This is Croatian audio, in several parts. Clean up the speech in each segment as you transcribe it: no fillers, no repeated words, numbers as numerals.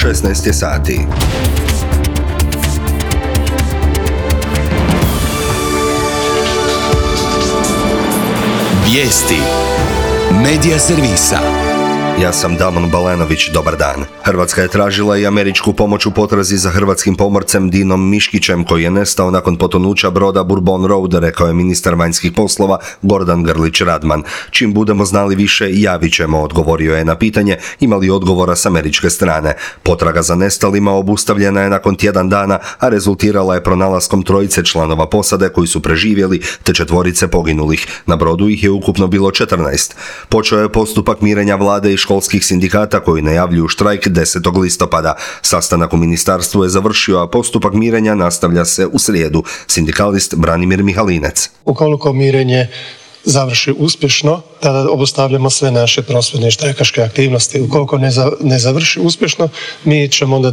16 je sati. Vijesti Medija servisa. Ja sam Damon Balenović, dobar dan. Hrvatska je tražila i američku pomoć u potrazi za hrvatskim pomorcem Dinom Miškićem koji je nestao nakon potonuća broda Bourbon Road, rekao je ministar vanjskih poslova Gordan Grlić Radman. Čim budemo znali više, javit ćemo, odgovorio je na pitanje ima li odgovora s američke strane. Potraga za nestalima obustavljena je nakon tjedan dana, a rezultirala je pronalaskom trojice članova posade koji su preživjeli te 4 poginulih. Na brodu ih je ukupno bilo 14. Počeo je postupak mirenja vlade i školskih sindikata koji najavljuju štrajk 10. listopada. Sastanak u ministarstvu je završio, a postupak mirenja nastavlja se u srijedu. Sindikalist Branimir Mihalinec. Ukoliko mirenje završi uspješno, tada obustavljamo sve naše prosvjedne i štrajkaške aktivnosti. Ukoliko ne završi uspješno, mi ćemo onda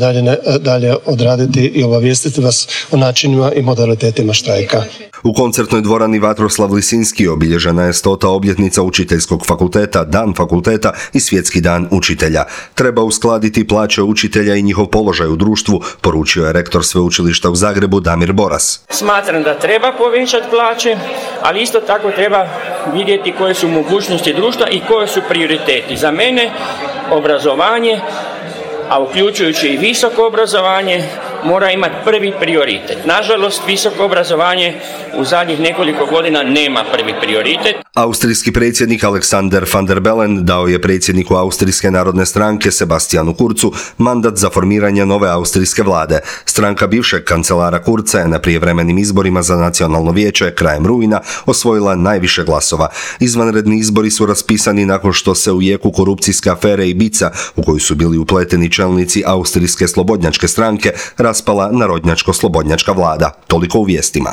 dalje odraditi i obavijestiti vas o načinima i modalitetima štrajka. U koncertnoj dvorani Vatroslav Lisinski obilježena je 100. obljetnica učiteljskog fakulteta, dan fakulteta i svjetski dan učitelja. Treba uskladiti plaće učitelja i njihov položaj u društvu, poručio je rektor sveučilišta u Zagrebu Damir Boras. Smatram da treba povećati plaće, ali isto tako treba vidjeti koje su mogućnosti društva i koje su prioriteti. Za mene obrazovanje, a uključujući i visoko obrazovanje, mora imati prvi prioritet. Nažalost, visoko obrazovanje u zadnjih nekoliko godina nema prvi prioritet. Austrijski predsjednik Alexander van der Bellen dao je predsjedniku Austrijske narodne stranke Sebastianu Kurzu mandat za formiranje nove austrijske vlade. Stranka bivšeg kancelara Kurza je na prijevremenim izborima za nacionalno vijeće krajem rujna osvojila najviše glasova. Izvanredni izbori su raspisani nakon što se u jeku korupcijske afere Ibiza, u koju su bili upleteni čelnici Austrijske slobodnjačke stranke, raspala narodnjačko-slobodnjačka vlada. Toliko u vijestima.